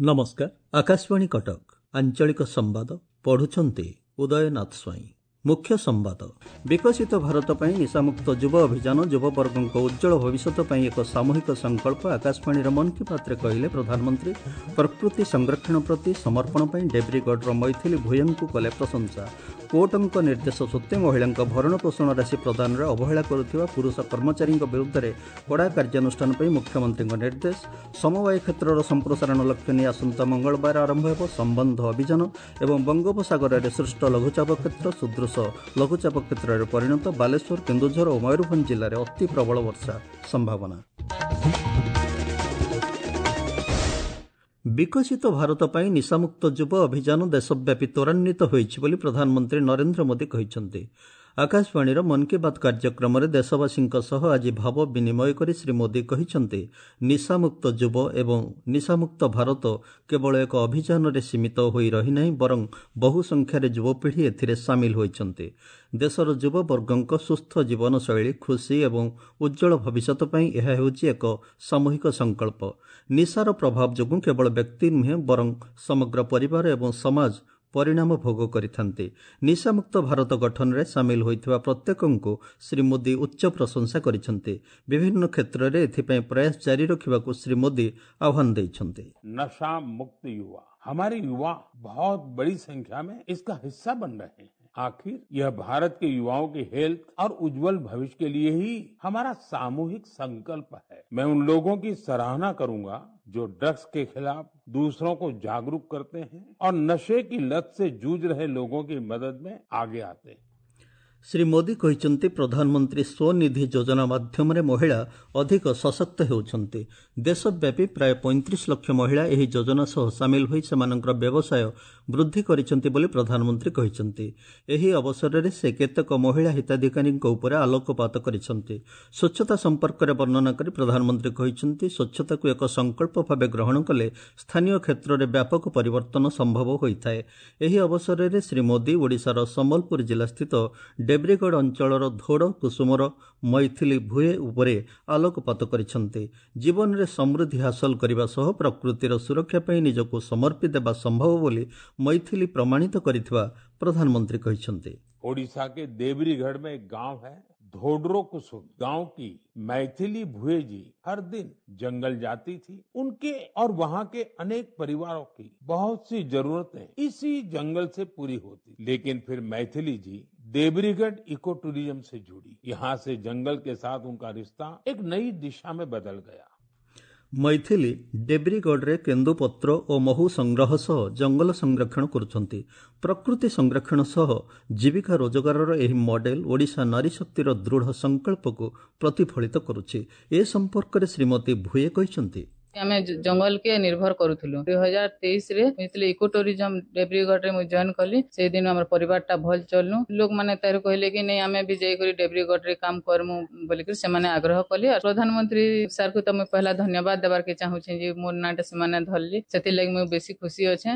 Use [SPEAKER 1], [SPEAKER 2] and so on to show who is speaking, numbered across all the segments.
[SPEAKER 1] ନମସ୍କାର, ଆକାଶବାଣୀ କଟକ, ଆଞ୍ଚଳିକ ସମ୍ବାଦ ପଢୁଛନ୍ତି ଉଦୟନାଥ ସ୍ୱାଇଁ। ମୁଖ୍ୟ ସମ୍ବାଦ। ବିକଶିତ ଭାରତ ପାଇଁ ନିଶାମୁକ୍ତ ଯୁବ ଅଭିଯାନ ଯୁବବର୍ଗଙ୍କ ଉଜ୍ଜ୍ୱଳ ଭବିଷ୍ୟତ ପାଇଁ ଏକ ସାମୂହିକ ସଂକଳ୍ପ, ଆକାଶବାଣୀର ମନ୍ କି ବାତ୍ରେ କହିଲେ ପ୍ରଧାନମନ୍ତ୍ରୀ। ପ୍ରକୃତି ସଂରକ୍ଷଣ ପ୍ରତି ସମର୍ପଣ ପାଇଁ ଡେବ୍ରିଗଡ଼ର ମୈଥିଲି ଭୂୟଙ୍କୁ କଲେ ପ୍ରଶଂସା। କୋର୍ଟଙ୍କ ନିର୍ଦ୍ଦେଶ ସତ୍ତ୍ୱେ ମହିଳାଙ୍କ ଭରଣପୋଷଣ ରାଶି ପ୍ରଦାନରେ ଅବହେଳା କରୁଥିବା ପୁରୁଷ କର୍ମଚାରୀଙ୍କ ବିରୁଦ୍ଧରେ କଡ଼ା କାର୍ଯ୍ୟାନୁଷ୍ଠାନ ପାଇଁ ମୁଖ୍ୟମନ୍ତ୍ରୀଙ୍କ ନିର୍ଦ୍ଦେଶ। ସମବାୟ କ୍ଷେତ୍ରର ସମ୍ପ୍ରସାରଣ ଲକ୍ଷ୍ୟ ନେଇ ଆସନ୍ତା ମଙ୍ଗଳବାର ଆରମ୍ଭ ହେବ ସମ୍ବନ୍ଧ ଅଭିଯାନ। ଏବଂ ବଙ୍ଗୋପସାଗରରେ ସୃଷ୍ଟ ଲଘୁଚାପ କ୍ଷେତ୍ର ସୁଦୃଶ ଲଘୁଚାପ କ୍ଷେତ୍ରରେ ପରିଣତ। ବାଲେଶ୍ୱର, କେନ୍ଦୁଝର ଓ ମୟୂରଭଞ୍ଜ ଜିଲ୍ଲାରେ ଅତି ପ୍ରବଳ ବର୍ଷା ସମ୍ଭାବନା। ବିକଶିତ ଭାରତ ପାଇଁ ନିଶାମୁକ୍ତ ଯୁବ ଅଭିଯାନ ଦେଶବ୍ୟାପୀ ତ୍ୱରାନ୍ୱିତ ହୋଇଛି ବୋଲି ପ୍ରଧାନମନ୍ତ୍ରୀ ନରେନ୍ଦ୍ର ମୋଦି କହିଛନ୍ତି। ଆକାଶବାଣୀର ମନ୍ କି ବାତ୍ କାର୍ଯ୍ୟକ୍ରମରେ ଦେଶବାସୀଙ୍କ ସହ ଆଜି ଭାବ ବିନିମୟ କରି ଶ୍ରୀ ମୋଦି କହିଛନ୍ତି, ନିଶାମୁକ୍ତ ଯୁବ ଏବଂ ନିଶାମୁକ୍ତ ଭାରତ କେବଳ ଏକ ଅଭିଯାନରେ ସୀମିତ ହୋଇ ରହିନାହିଁ, ବରଂ ବହୁ ସଂଖ୍ୟାରେ ଯୁବପିଢ଼ି ଏଥିରେ ସାମିଲ ହୋଇଛନ୍ତି। ଦେଶର ଯୁବବର୍ଗଙ୍କ ସୁସ୍ଥ ଜୀବନଶୈଳୀ, ଖୁସି ଏବଂ ଉଜ୍ଜ୍ୱଳ ଭବିଷ୍ୟତ ପାଇଁ ଏହା ହେଉଛି ଏକ ସାମୂହିକ ସଂକଳ୍ପ। ନିଶାର ପ୍ରଭାବ ଯୋଗୁଁ କେବଳ ବ୍ୟକ୍ତି ନୁହେଁ, ବରଂ ସମଗ୍ର ପରିବାର ଏବଂ ସମାଜ ପରିଣାମ ଭୋଗ କରିଥାନ୍ତି। ନିଶାମୁକ୍ତ ଭାରତ ଗଠନରେ ସାମିଲ ହୋଇଥିବା ପ୍ରତ୍ୟେକଙ୍କୁ ଶ୍ରୀ ମୋଦି ଉଚ୍ଚ ପ୍ରଶଂସା କରିଛନ୍ତି। ବିଭିନ୍ନ କ୍ଷେତ୍ରରେ ଏଥିପାଇଁ ପ୍ରୟାସ ଜାରି ରଖିବାକୁ ଶ୍ରୀ ମୋଦି ଆହ୍ୱାନ ଦେଇଛନ୍ତି।
[SPEAKER 2] नशा मुक्त युवा, हमारे युवा बहुत बड़ी संख्या में इसका हिस्सा बन रहे हैं। आखिर यह भारत के युवाओं की हेल्थ और उज्जवल भविष्य के लिए ही हमारा सामूहिक संकल्प है। मैं उन लोगों की सराहना करूंगा जो ड्रग्स के खिलाफ दूसरों को जागरूक करते हैं और नशे की लत से जूझ रहे लोगों की मदद में आगे आते हैं।
[SPEAKER 1] ଶ୍ରୀ ମୋଦି କହିଛନ୍ତି, ପ୍ରଧାନମନ୍ତ୍ରୀ ସ୍ୱନିଧି ଯୋଜନା ମାଧ୍ୟମରେ ମହିଳା ଅଧିକ ସଶକ୍ତ ହେଉଛନ୍ତି। ଦେଶବ୍ୟାପୀ ପ୍ରାୟ 35 ଲକ୍ଷ ମହିଳା ଏହି ଯୋଜନା ସହ ସାମିଲ ହୋଇ ସେମାନଙ୍କର ବ୍ୟବସାୟ ବୃଦ୍ଧି କରିଛନ୍ତି ବୋଲି ପ୍ରଧାନମନ୍ତ୍ରୀ କହିଛନ୍ତି। ଏହି ଅବସରରେ ସେ କେତେକ ମହିଳା ହିତାଧିକାରୀଙ୍କ ଉପରେ ଆଲୋକପାତ କରିଛନ୍ତି। ସ୍ୱଚ୍ଛତା ସମ୍ପର୍କରେ ବର୍ଣ୍ଣନା କରି ପ୍ରଧାନମନ୍ତ୍ରୀ କହିଛନ୍ତି, ସ୍ୱଚ୍ଛତାକୁ ଏକ ସଂକଳ୍ପ ଭାବେ ଗ୍ରହଣ କଲେ ସ୍ଥାନୀୟ କ୍ଷେତ୍ରରେ ବ୍ୟାପକ ପରିବର୍ତ୍ତନ ସମ୍ଭବ ହୋଇଥାଏ। ଏହି ଅବସରରେ ଶ୍ରୀ ମୋଦି ଓଡ଼ିଶାର ସମ୍ବଲପୁର ଜିଲ୍ଲାସ୍ଥିତ ଡେବ୍ରିଗଡ଼ ଅଞ୍ଚଳର ଧୋଡ଼ କୁସୁମର ମୈଥିଲି ଭୁଏ ଉପରେ ଆଲୋକପାତ କରିଛନ୍ତି। ଜୀବନରେ ସମୃଦ୍ଧି ହାସଲ କରିବା ସହ ପ୍ରକୃତିର ସୁରକ୍ଷା ପାଇଁ ନିଜକୁ ସମର୍ପି ଦେବା ସମ୍ଭବ ବୋଲି ମୈଥିଲି ପ୍ରମାଣିତ କରିଥିବା ପ୍ରଧାନମନ୍ତ୍ରୀ କହିଛନ୍ତି।
[SPEAKER 2] ओडिशा के देवरीगढ़ में एक गांव है धोडरो कुसुम। गांव की मैथिली भुए जी हर दिन जंगल जाती थी। उनके और वहां के अनेक परिवारों की बहुत सी जरूरतें इसी जंगल से पूरी होती। लेकिन फिर मैथिली जी देवरीगढ़ इको टूरिज्म से जुड़ी। यहाँ से जंगल के साथ उनका रिश्ता एक नई दिशा में बदल गया।
[SPEAKER 1] ମୈଥିଲି ଡେବ୍ରିଗଡ଼ରେ କେନ୍ଦୁପତ୍ର ଓ ମହୁ ସଂଗ୍ରହ ସହ ଜଙ୍ଗଲ ସଂରକ୍ଷଣ କରୁଛନ୍ତି। ପ୍ରକୃତି ସଂରକ୍ଷଣ ସହ ଜୀବିକା ରୋଜଗାରର ଏହି ମଡେଲ ଓଡ଼ିଶା ନାରୀ ଶକ୍ତିର ଦୃଢ଼ ସଂକଳ୍ପକୁ ପ୍ରତିଫଳିତ କରୁଛି। ଏ ସମ୍ପର୍କରେ ଶ୍ରୀମତୀ ଭୁଏ କହିଛନ୍ତି,
[SPEAKER 3] ଆମେ ଜଙ୍ଗଲ କେ ନିର୍ଭର କରୁଥିଲୁ। 2023ରେ ଯେତେବେଳେ ଇକୋ ଟୁରିଜମ ଡେବ୍ରିଗଡ଼ରେ ମୁଁ ଜଏନ୍ କଲି, ସେଇଦିନ ଆମର ପରିବାରଟା ଭଲ ଚଲନୁ। ଲୋକମାନେ ତାରୁ କହିଲେ କି ନାଇଁ, ଆମେ ବି ଯାଇକରି ଡେବ୍ରିଗଡ଼ରେ କାମ କରମୁ ବୋଲିକରି ସେମାନେ ଆଗ୍ରହ କଲେ। ଆଉ ପ୍ରଧାନମନ୍ତ୍ରୀ ସାର୍କୁ ତ ମୁଇଁ ପହଲା ଧନ୍ୟବାଦ ଦେବାର୍କେ ଚାହୁଁଛେ ଯେ ମୋର ନାଁଟା ସେମାନେ ଧରଲି, ସେଥିର୍ଲାଗି ମୁଇଁ ବେଶୀ ଖୁସି ଅଛେ।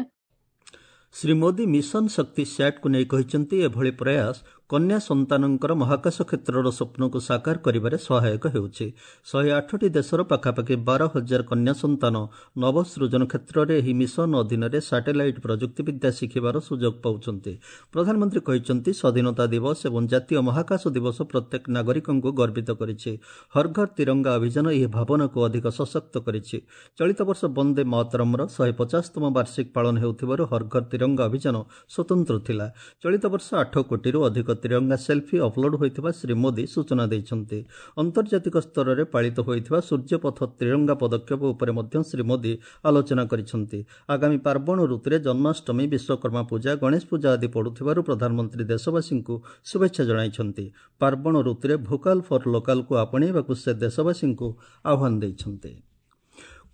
[SPEAKER 1] ଶ୍ରୀ ମୋଦି ମିଶନ ଶକ୍ତି ସ୍ୟାଟ୍କୁ ନେଇ କହିଛନ୍ତି, ଏଭଳି ପ୍ରୟାସ କନ୍ୟା ସନ୍ତାନଙ୍କର ମହାକାଶ କ୍ଷେତ୍ରର ସ୍ୱପ୍ନକୁ ସାକାର କରିବାରେ ସହାୟକ ହେଉଛି। 108ଟି ଦେଶର ପାଖାପାଖି 12,000 କନ୍ୟା ସନ୍ତାନ ନବସୃଜନ କ୍ଷେତ୍ରରେ ଏହି ମିଶନ ଅଧୀନରେ ସାଟେଲାଇଟ୍ ପ୍ରଯୁକ୍ତିବିଦ୍ୟା ଶିଖିବାର ସୁଯୋଗ ପାଉଛନ୍ତି। ପ୍ରଧାନମନ୍ତ୍ରୀ କହିଛନ୍ତି, ସ୍ୱାଧୀନତା ଦିବସ ଏବଂ ଜାତୀୟ ମହାକାଶ ଦିବସ ପ୍ରତ୍ୟେକ ନାଗରିକଙ୍କୁ ଗର୍ବିତ କରିଛି। ହର ଘର ତିରଙ୍ଗା ଅଭିଯାନ ଏହି ଭାବନାକୁ ଅଧିକ ସଶକ୍ତ କରିଛି। ଚଳିତ ବର୍ଷ ବନ୍ଦେ ମାତରମ୍ର 150ତମ ବାର୍ଷିକ ପାଳନ ହେଉଥିବାରୁ ହର ଘର ତିରଙ୍ଗା ଅଭିଯାନ ସ୍ୱତନ୍ତ୍ର ଥିଲା। ଚଳିତ ବର୍ଷ 8 କୋଟିରୁ ଅଧିକ ତିରଙ୍ଗା ସେଲ୍ଫି ଅପଲୋଡ୍ ହୋଇଥିବା ଶ୍ରୀ ମୋଦି ସୂଚନା ଦେଇଛନ୍ତି। ଆନ୍ତର୍ଜାତିକ ସ୍ତରରେ ପାଳିତ ହୋଇଥିବା ସୂର୍ଯ୍ୟପଥ ତ୍ରିରଙ୍ଗା ପଦକ୍ଷେପ ଉପରେ ମଧ୍ୟ ଶ୍ରୀ ମୋଦି ଆଲୋଚନା କରିଛନ୍ତି। ଆଗାମୀ ପାର୍ବଣ ଋତୁରେ ଜନ୍ମାଷ୍ଟମୀ, ବିଶ୍ୱକର୍ମା ପୂଜା, ଗଣେଶ ପୂଜା ଆଦି ପଡୁଥିବାରୁ ପ୍ରଧାନମନ୍ତ୍ରୀ ଦେଶବାସୀଙ୍କୁ ଶୁଭେଚ୍ଛା ଜଣାଇଛନ୍ତି। ପାର୍ବଣ ଋତୁରେ ଭୋକାଲ ଫର ଲୋକାଲକୁ ଆପଣେଇବାକୁ ସେ ଦେଶବାସୀଙ୍କୁ ଆହ୍ୱାନ ଦେଇଛନ୍ତି।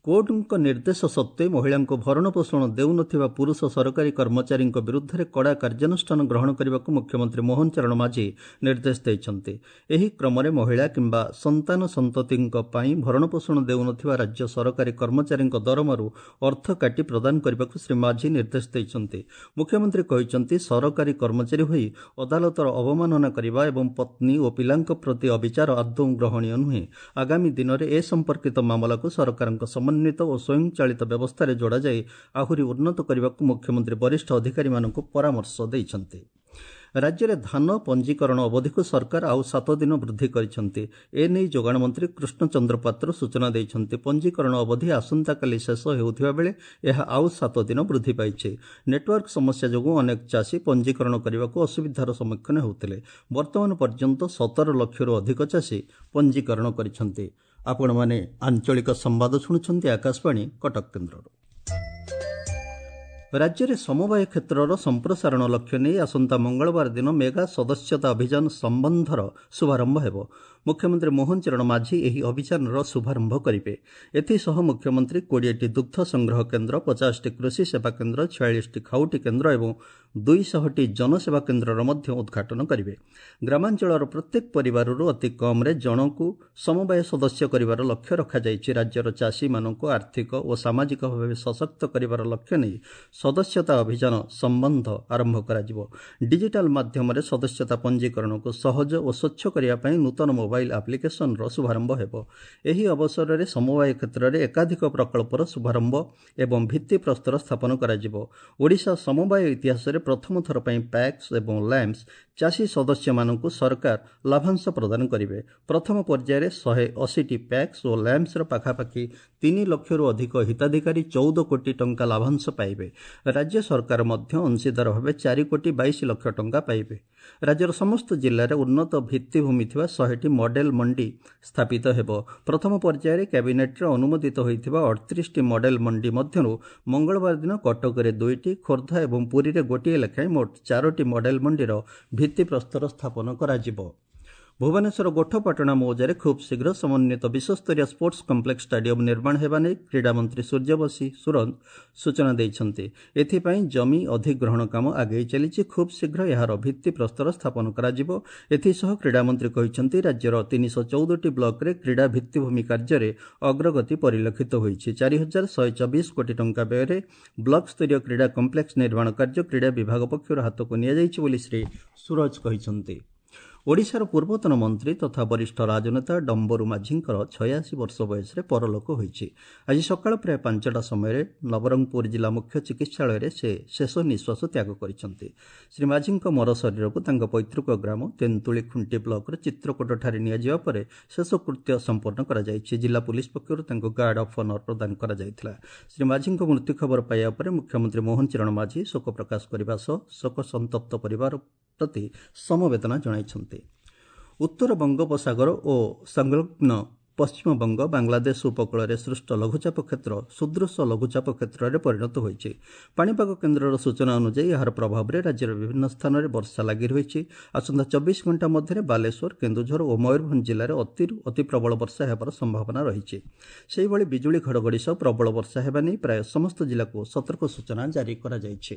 [SPEAKER 1] କୋର୍ଟଙ୍କ ନିର୍ଦ୍ଦେଶ ସତ୍ତ୍ୱେ ମହିଳାଙ୍କୁ ଭରଣପୋଷଣ ଦେଉନଥିବା ପୁରୁଷ ସରକାରୀ କର୍ମଚାରୀଙ୍କ ବିରୁଦ୍ଧରେ କଡ଼ା କାର୍ଯ୍ୟାନୁଷ୍ଠାନ ଗ୍ରହଣ କରିବାକୁ ମୁଖ୍ୟମନ୍ତ୍ରୀ ମୋହନ ଚରଣ ମାଝୀ ନିର୍ଦ୍ଦେଶ ଦେଇଛନ୍ତି। ଏହି କ୍ରମରେ ମହିଳା କିମ୍ବା ସନ୍ତାନ ସନ୍ତତିଙ୍କ ପାଇଁ ଭରଣପୋଷଣ ଦେଉନଥିବା ରାଜ୍ୟ ସରକାରୀ କର୍ମଚାରୀଙ୍କ ଦରମାରୁ ଅର୍ଥ କାଟି ପ୍ରଦାନ କରିବାକୁ ଶ୍ରୀ ମାଝୀ ନିର୍ଦ୍ଦେଶ ଦେଇଛନ୍ତି। ମୁଖ୍ୟମନ୍ତ୍ରୀ କହିଛନ୍ତି, ସରକାରୀ କର୍ମଚାରୀ ହୋଇ ଅଦାଲତର ଅବମାନନା କରିବା ଏବଂ ପତ୍ନୀ ଓ ପିଲାଙ୍କ ପ୍ରତି ଅବିଚାର ଆଦୌ ଗ୍ରହଣୀୟ ନୁହେଁ। ଆଗାମୀ ଦିନରେ ଏ ସମ୍ପର୍କିତ ମାମଲାକୁ ସରକାରଙ୍କ ସମନ୍ୱିତ ଓ ସ୍ୱୟଂଚାଳିତ ବ୍ୟବସ୍ଥାରେ ଯୋଡ଼ାଯାଇ ଆହୁରି ଉନ୍ନତ କରିବାକୁ ମୁଖ୍ୟମନ୍ତ୍ରୀ ବରିଷ୍ଠ ଅଧିକାରୀମାନଙ୍କୁ ପରାମର୍ଶ ଦେଇଛନ୍ତି। ରାଜ୍ୟରେ ଧାନ ପଞ୍ଜୀକରଣ ଅବଧିକୁ ସରକାର ଆଉ 7 ଦିନ ବୃଦ୍ଧି କରିଛନ୍ତି। ଏନେଇ ଯୋଗାଣ ମନ୍ତ୍ରୀ କୃଷ୍ଣଚନ୍ଦ୍ର ପାତ୍ର ସୂଚନା ଦେଇଛନ୍ତି। ପଞ୍ଜୀକରଣ ଅବଧି ଆସନ୍ତାକାଲି ଶେଷ ହେଉଥିବା ବେଳେ ଏହା ଆଉ 7 ଦିନ ବୃଦ୍ଧି ପାଇଛି। ନେଟୱାର୍କ ସମସ୍ୟା ଯୋଗୁଁ ଅନେକ ଚାଷୀ ପଞ୍ଜୀକରଣ କରିବାକୁ ଅସୁବିଧାର ସମ୍ମୁଖୀନ ହେଉଥିଲେ। ବର୍ତ୍ତମାନ ପର୍ଯ୍ୟନ୍ତ 17 ଲକ୍ଷରୁ ଅଧିକ ଚାଷୀ ପଞ୍ଜୀକରଣ କରିଛନ୍ତି। ଆପଣମାନେ ଆଞ୍ଚଳିକ ସମ୍ବାଦ ଶୁଣୁଛନ୍ତି ଆକାଶବାଣୀ କଟକ କେନ୍ଦ୍ରରୁ। ରାଜ୍ୟରେ ସମବାୟ କ୍ଷେତ୍ରର ସମ୍ପ୍ରସାରଣ ଲକ୍ଷ୍ୟ ନେଇ ଆସନ୍ତା ମଙ୍ଗଳବାର ଦିନ ମେଗା ସଦସ୍ୟତା ଅଭିଯାନ ସମ୍ବନ୍ଧର ଶୁଭାରମ୍ଭ ହେବ। ମୁଖ୍ୟମନ୍ତ୍ରୀ ମୋହନ ଚରଣ ମାଝୀ ଏହି ଅଭିଯାନର ଶୁଭାରମ୍ଭ କରିବେ। ଏଥିସହ ମୁଖ୍ୟମନ୍ତ୍ରୀ 20ଟି ଦୁଗ୍ଧ ସଂଗ୍ରହ କେନ୍ଦ୍ର, 50ଟି କୃଷି ସେବା କେନ୍ଦ୍ର, 46ଟି ଖାଉଟି କେନ୍ଦ୍ର ଏବଂ 200ଟି ଜନସେବା କେନ୍ଦ୍ରର ମଧ୍ୟ ଉଦ୍ଘାଟନ କରିବେ। ଗ୍ରାମାଞ୍ଚଳର ପ୍ରତ୍ୟେକ ପରିବାରରୁ ଅତି କମ୍ରେ ଜଣକୁ ସମବାୟ ସଦସ୍ୟ କରିବାର ଲକ୍ଷ୍ୟ ରଖାଯାଇଛି। ରାଜ୍ୟର ଚାଷୀମାନଙ୍କୁ ଆର୍ଥିକ ଓ ସାମାଜିକ ଭାବେ ସଶକ୍ତ କରିବାର ଲକ୍ଷ୍ୟ ନେଇ ସଦସ୍ୟତା ଅଭିଯାନ ସମ୍ବନ୍ଧ ଆରମ୍ଭ କରାଯିବ। ଡିଜିଟାଲ ମାଧ୍ୟମରେ ସଦସ୍ୟତା ପଞ୍ଜୀକରଣକୁ ସହଜ ଓ ସ୍ୱଚ୍ଛ କରିବା ପାଇଁ ନୂତନ ମୋବାଇଲ ଆପ୍ଲିକେସନର ଶୁଭାରମ୍ଭ ହେବ। ଏହି ଅବସରରେ ସମବାୟ କ୍ଷେତ୍ରରେ ଏକାଧିକ ପ୍ରକଳ୍ପର ଶୁଭାରମ୍ଭ ଏବଂ ଭିତ୍ତିପ୍ରସ୍ତର ସ୍ଥାପନ କରାଯିବ। ଓଡ଼ିଶା ସମବାୟ ଇତିହାସରେ ପ୍ରଥମ ଥର ପାଇଁ ପ୍ୟାକ୍ସ ଏବଂ ଲ୍ୟାମ୍ପସ୍ ଚାଷୀ ସଦସ୍ୟମାନଙ୍କୁ ସରକାର ଲାଭାଂଶ ପ୍ରଦାନ କରିବେ। ପ୍ରଥମ ପର୍ଯ୍ୟାୟରେ 180ଟି ପ୍ୟାକ୍ସ ଓ ଲ୍ୟାମ୍ପସ୍ର ପାଖାପାଖି 3 ଲକ୍ଷରୁ ଅଧିକ ହିତାଧିକାରୀ 14 କୋଟି ଟଙ୍କା ଲାଭାଂଶ ପାଇବେ। ରାଜ୍ୟ ସରକାର ମଧ୍ୟ ଅଂଶୀଦାର ଭାବେ 4 କୋଟି 22 ଲକ୍ଷ ଟଙ୍କା ପାଇବେ। ରାଜ୍ୟର ସମସ୍ତ ଜିଲ୍ଲାରେ ଉନ୍ନତ ଭିତ୍ତିଭୂମି ଥିବା 100ଟି ମଡେଲ ମଣ୍ଡି ସ୍ଥାପିତ ହେବ। ପ୍ରଥମ ପର୍ଯ୍ୟାୟରେ କ୍ୟାବିନେଟ୍ରେ ଅନୁମୋଦିତ ହୋଇଥିବା 38ଟି ମଡେଲ ମଣ୍ଡି ମଧ୍ୟରୁ ମଙ୍ଗଳବାର ଦିନ କଟକରେ 2ଟି, ଖୋର୍ଦ୍ଧା ଏବଂ ପୁରୀରେ ଗୋଟିଏ ଲେଖାଏଁ ମୋଟ 4ଟି ମଡେଲ ମଣ୍ଡିର ଭିତ୍ତିପ୍ରସ୍ତର ସ୍ଥାପନ କରାଯିବ। ଭୁବନେଶ୍ୱର ଗୋଠପାଟଣା ମୌଜାରେ ଖୁବ୍ ଶୀଘ୍ର ସମନ୍ୱିତ ବିଶ୍ୱସ୍ତରୀୟ ସ୍ପୋର୍ଟସ କମ୍ପ୍ଲେକ୍ସ ଷ୍ଟାଡିୟମ ନିର୍ମାଣ ହେବା ନେଇ କ୍ରୀଡ଼ାମନ୍ତ୍ରୀ ସୂର୍ଯ୍ୟବଂଶୀ ସୂରଜ ସୂଚନା ଦେଇଛନ୍ତି। ଏଥିପାଇଁ ଜମି ଅଧିଗ୍ରହଣ କାମ ଆଗେଇ ଚାଲିଛି। ଖୁବ୍ ଶୀଘ୍ର ଏହାର ଭିତ୍ତିପ୍ରସ୍ତର ସ୍ଥାପନ କରାଯିବ। ଏଥିସହ କ୍ରୀଡ଼ାମନ୍ତ୍ରୀ କହିଛନ୍ତି, ରାଜ୍ୟର 314ଟି ବ୍ଲକରେ କ୍ରୀଡ଼ା ଭିତ୍ତିଭୂମି କାର୍ଯ୍ୟରେ ଅଗ୍ରଗତି ପରିଲକ୍ଷିତ ହୋଇଛି। 4124 କୋଟି ଟଙ୍କା ବ୍ୟୟରେ ବ୍ଲକ ସ୍ତରୀୟ କ୍ରୀଡ଼ା କମ୍ପ୍ଲେକ୍ସ ନିର୍ମାଣ କାର୍ଯ୍ୟ କ୍ରୀଡ଼ା ବିଭାଗ ପକ୍ଷରୁ ହାତକୁ ନିଆଯାଇଛି ବୋଲି ଶ୍ରୀ ସୂରଜ କହିଛନ୍ତି। ଓଡ଼ିଶାର ପୂର୍ବତନ ମନ୍ତ୍ରୀ ତଥା ବରିଷ୍ଠ ରାଜନେତା ଡମ୍ବରୁ ମାଝୀଙ୍କର 86 ବର୍ଷ ବୟସରେ ପରଲୋକ ହୋଇଛି। ଆଜି ସକାଳ ପ୍ରାୟ 5ଟା ସମୟରେ ନବରଙ୍ଗପୁର ଜିଲ୍ଲା ମୁଖ୍ୟ ଚିକିତ୍ସାଳୟରେ ସେ ଶେଷ ନିଃଶ୍ୱାସ ତ୍ୟାଗ କରିଛନ୍ତି। ଶ୍ରୀ ମାଝୀଙ୍କ ମରଶରୀରକୁ ତାଙ୍କ ପୈତୃକ ଗ୍ରାମ ତେନ୍ତୁଳି ଖୁଣ୍ଟି ବ୍ଲକର ଚିତ୍ରକୋଟଠାରେ ନିଆଯିବା ପରେ ଶେଷକୃତ୍ୟ ସମ୍ପନ୍ନ କରାଯାଇଛି। ଜିଲ୍ଲା ପୁଲିସ ପକ୍ଷରୁ ତାଙ୍କୁ ଗାର୍ଡ ଅଫ୍ ଅନର ପ୍ରଦାନ କରାଯାଇଥିଲା। ଶ୍ରୀ ମାଝୀଙ୍କ ମୃତ୍ୟୁ ଖବର ପାଇବା ପରେ ମୁଖ୍ୟମନ୍ତ୍ରୀ ମୋହନ ଚରଣ ମାଝୀ ଶୋକ ପ୍ରକାଶ କରିବା ସହ ଶୋକ ସନ୍ତପ୍ତ ପରିବାର ପ୍ରତି ସମବେଦନା ଜଣାଇଛନ୍ତି। ଉତ୍ତର ବଙ୍ଗୋପସାଗର ଓ ସଂଲଗ୍ନ ପଶ୍ଚିମବଙ୍ଗ ବାଂଲାଦେଶ ଉପକୂଳରେ ସୃଷ୍ଟ ଲଘୁଚାପ କ୍ଷେତ୍ର ସୁଦୃଶ୍ୟ ଲଘୁଚାପ କ୍ଷେତ୍ରରେ ପରିଣତ ହୋଇଛି। ପାଣିପାଗ କେନ୍ଦ୍ରର ସୂଚନା ଅନୁଯାୟୀ ଏହାର ପ୍ରଭାବରେ ରାଜ୍ୟର ବିଭିନ୍ନ ସ୍ଥାନରେ ବର୍ଷା ଲାଗି ରହିଛି। ଆସନ୍ତା 24 ଘଣ୍ଟା ମଧ୍ୟରେ ବାଲେଶ୍ୱର, କେନ୍ଦୁଝର ଓ ମୟୂରଭଞ୍ଜ ଜିଲ୍ଲାରେ ଅତିରୁ ଅତି ପ୍ରବଳ ବର୍ଷା ହେବାର ସମ୍ଭାବନା ରହିଛି। ସେହିଭଳି ବିଜୁଳି ଘଡ଼ଘଡ଼ି ସହ ପ୍ରବଳ ବର୍ଷା ହେବା ନେଇ ପ୍ରାୟ ସମସ୍ତ ଜିଲ୍ଲାକୁ ସତର୍କ ସୂଚନା ଜାରି କରାଯାଇଛି।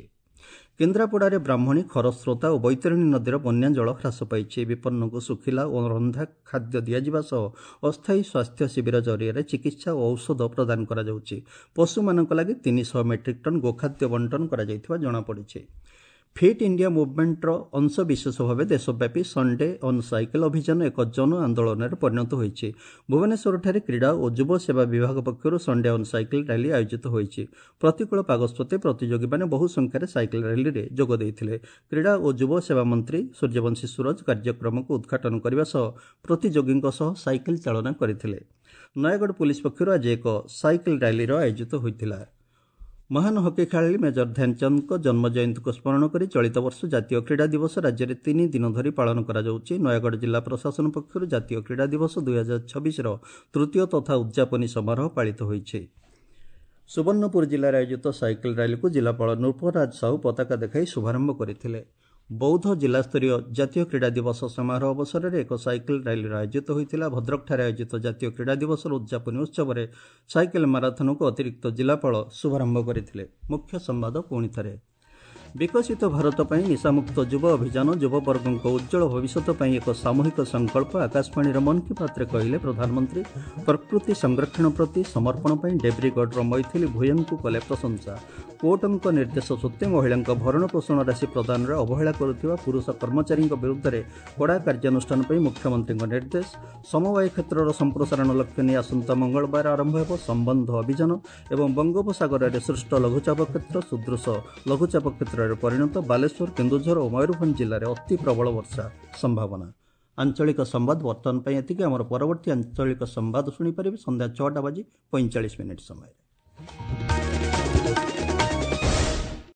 [SPEAKER 1] କେନ୍ଦ୍ରାପଡ଼ାରେ ବ୍ରାହ୍ମଣୀ, ଖରସ୍ରୋତା ଓ ବୈତରଣୀ ନଦୀର ବନ୍ୟା ଜଳ ହ୍ରାସ ପାଇଛି। ବିପନ୍ନଙ୍କୁ ଶୁଖିଲା ଓ ରନ୍ଧା ଖାଦ୍ୟ ଦିଆଯିବା ସହ ଅସ୍ଥାୟୀ ସ୍ୱାସ୍ଥ୍ୟ ଶିବିର ଜରିଆରେ ଚିକିତ୍ସା ଓ ଔଷଧ ପ୍ରଦାନ କରାଯାଉଛି। ପଶୁମାନଙ୍କ ଲାଗି 300 ମେଟ୍ରିକ୍ ଟନ୍ ଗୋଖାଦ୍ୟ ବଣ୍ଟନ କରାଯାଇଥିବା ଜଣାପଡ଼ିଛି। ଫିଟ୍ ଇଣ୍ଡିଆ ମୁଭମେଣ୍ଟର ଅଂଶବିଶେଷ ଭାବେ ଦେଶବ୍ୟାପୀ ସଣ୍ଡେ ଅନ୍ ସାଇକେଲ ଅଭିଯାନ ଏକ ଜନ ଆନ୍ଦୋଳନରେ ପରିଣତ ହୋଇଛି। ଭୁବନେଶ୍ୱରଠାରେ କ୍ରୀଡ଼ା ଓ ଯୁବ ସେବା ବିଭାଗ ପକ୍ଷରୁ ସଣ୍ଡେ ଅନ୍ ସାଇକେଲ ର୍ୟାଲି ଆୟୋଜିତ ହୋଇଛି। ପ୍ରତିକୂଳ ପାଗ ସତ୍ତ୍ୱେ ପ୍ରତିଯୋଗୀମାନେ ବହୁ ସଂଖ୍ୟାରେ ସାଇକେଲ ର୍ୟାଲିରେ ଯୋଗ ଦେଇଥିଲେ। କ୍ରୀଡ଼ା ଓ ଯୁବ ସେବା ମନ୍ତ୍ରୀ ସୂର୍ଯ୍ୟବଂଶୀ ସୂରଜ କାର୍ଯ୍ୟକ୍ରମକୁ ଉଦ୍ଘାଟନ କରିବା ସହ ପ୍ରତିଯୋଗୀଙ୍କ ସହ ସାଇକେଲ ଚାଳନା କରିଥିଲେ। ନୟାଗଡ଼ ପୁଲିସ ପକ୍ଷରୁ ଆଜି ଏକ ସାଇକେଲ ର୍ୟାଲିର ଆୟୋଜିତ ହୋଇଥିଲା। ମହାନ ହକି ଖେଳାଳି ମେଜର ଧ୍ୟାନଚାନ୍ଦଙ୍କ ଜନ୍ମ ଜୟନ୍ତୀକୁ ସ୍ମରଣ କରି ଚଳିତ ବର୍ଷ ଜାତୀୟ କ୍ରୀଡ଼ା ଦିବସ ରାଜ୍ୟରେ 3 ଦିନ ଧରି ପାଳନ କରାଯାଉଛି। ନୟାଗଡ଼ ଜିଲ୍ଲା ପ୍ରଶାସନ ପକ୍ଷରୁ ଜାତୀୟ କ୍ରୀଡ଼ା ଦିବସ 2026ର ତୃତୀୟ ତଥା ଉଦ୍ଯାପନୀ ସମାରୋହ ପାଳିତ ହୋଇଛି। ସୁବର୍ଣ୍ଣପୁର ଜିଲ୍ଲାରେ ଆୟୋଜିତ ସାଇକେଲ ର୍ୟାଲିକୁ ଜିଲ୍ଲାପାଳ ନୃପରାଜ ସାହୁ ପତାକା ଦେଖାଇ ଶୁଭାରମ୍ଭ କରିଥିଲେ। ବୌଦ୍ଧ ଜିଲ୍ଲାସ୍ତରୀୟ ଜାତୀୟ କ୍ରୀଡ଼ା ଦିବସ ସମାରୋହ ଅବସରରେ ଏକ ସାଇକେଲ ରାଲିର ଆୟୋଜିତ ହୋଇଥିଲା। ଭଦ୍ରକଠାରେ ଆୟୋଜିତ ଜାତୀୟ କ୍ରୀଡ଼ା ଦିବସର ଉଦ୍ଯାପନୀ ଉତ୍ସବରେ ସାଇକେଲ ମାରାଥନକୁ ଅତିରିକ୍ତ ଜିଲ୍ଲାପାଳ ଶୁଭାରମ୍ଭ କରିଥିଲେ। ମୁଖ୍ୟ ସମ୍ବାଦ ପୁଣି ଥରେ। ବିକଶିତ ଭାରତ ପାଇଁ ନିଶାମୁକ୍ତ ଯୁବ ଅଭିଯାନ ଯୁବବର୍ଗଙ୍କ ଉଜ୍ଜ୍ୱଳ ଭବିଷ୍ୟତ ପାଇଁ ଏକ ସାମୂହିକ ସଂକଳ୍ପ, ଆକାଶବାଣୀର ମନ୍ କି ବାତ୍ରେ କହିଲେ ପ୍ରଧାନମନ୍ତ୍ରୀ। ପ୍ରକୃତି ସଂରକ୍ଷଣ ପ୍ରତି ସମର୍ପଣ ପାଇଁ ଡେବ୍ରିଗଡ଼ର ମୈଥିଲି ଭୂୟଙ୍କୁ କଲେ ପ୍ରଶଂସା। କୋର୍ଟଙ୍କ ନିର୍ଦ୍ଦେଶ ସତ୍ତ୍ୱେ ମହିଳାଙ୍କ ଭରଣପୋଷଣ ରାଶି ପ୍ରଦାନରେ ଅବହେଳା କରୁଥିବା ପୁରୁଷ କର୍ମଚାରୀଙ୍କ ବିରୁଦ୍ଧରେ କଡ଼ା କାର୍ଯ୍ୟାନୁଷ୍ଠାନ ପାଇଁ ମୁଖ୍ୟମନ୍ତ୍ରୀଙ୍କ ନିର୍ଦ୍ଦେଶ। ସମବାୟ କ୍ଷେତ୍ରର ସମ୍ପ୍ରସାରଣ ଲକ୍ଷ୍ୟ ନେଇ ଆସନ୍ତା ମଙ୍ଗଳବାର ଆରମ୍ଭ ହେବ ସମ୍ବନ୍ଧ ଅଭିଯାନ। ଏବଂ ବଙ୍ଗୋପସାଗରରେ ସୃଷ୍ଟ ଲଘୁଚାପ କ୍ଷେତ୍ର ସୁଦୃଶ ଲଘୁଚାପ କ୍ଷେତ୍ରରେ ପରିଣତ। ବାଲେଶ୍ୱର, କେନ୍ଦୁଝର ଓ ମୟୂରଭଞ୍ଜ ଜିଲ୍ଲାରେ ଅତି ପ୍ରବଳ ବର୍ଷା ସମ୍ଭାବନା। ଆଞ୍ଚଳିକ ସମ୍ବାଦ ବର୍ତ୍ତମାନ ପାଇଁ ଏତିକି। ଆମର ପରବର୍ତ୍ତୀ ଆଞ୍ଚଳିକ ସମ୍ବାଦ ଶୁଣିପାରିବେ ସନ୍ଧ୍ୟା 6ଟା ବାଜି 45 ମିନିଟ୍ ସମୟରେ।